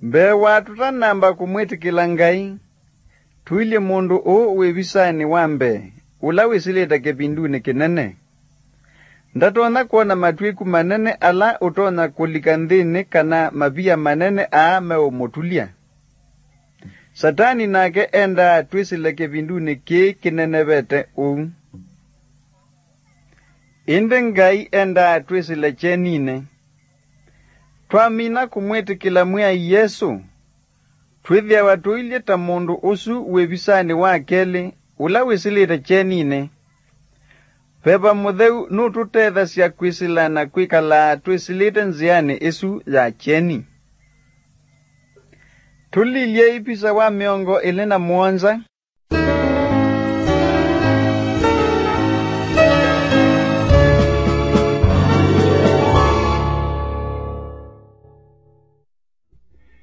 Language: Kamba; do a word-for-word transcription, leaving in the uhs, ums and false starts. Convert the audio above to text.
Mbee wa tũtanamba kũmwĩtĩkĩla Ngai, tũilye mũndũ ũũ wĩ visanĩ wa mbee, ũla wĩsĩlĩte kĩvindunĩ kĩnene. Ndatonya kwona matw'ĩku manene ala ũtonya kũlika nthĩnĩ kana mavia manene aa meũmũtulya. Satani nake endaa twĩsĩle kĩvindunĩ kĩĩ kĩnenevete ũu. Ĩndĩ Ngai endaa twĩsĩle kyeninĩ. Twamina kũmwĩtĩkĩla Mwĩai Yesũ, twĩthĩawa tũilye ta mũndũ ũsu wĩ visanĩ wa kelĩ, ũla wĩsĩlĩte kyeninĩ. Veva Mũtheu nũtũtethasya kwĩsĩla na kwĩkalaa twĩsĩlĩte nzĩanĩ ĩsu ya kyeni. Tũlilyei visa wa mĩongo ĩlĩ na mũonza,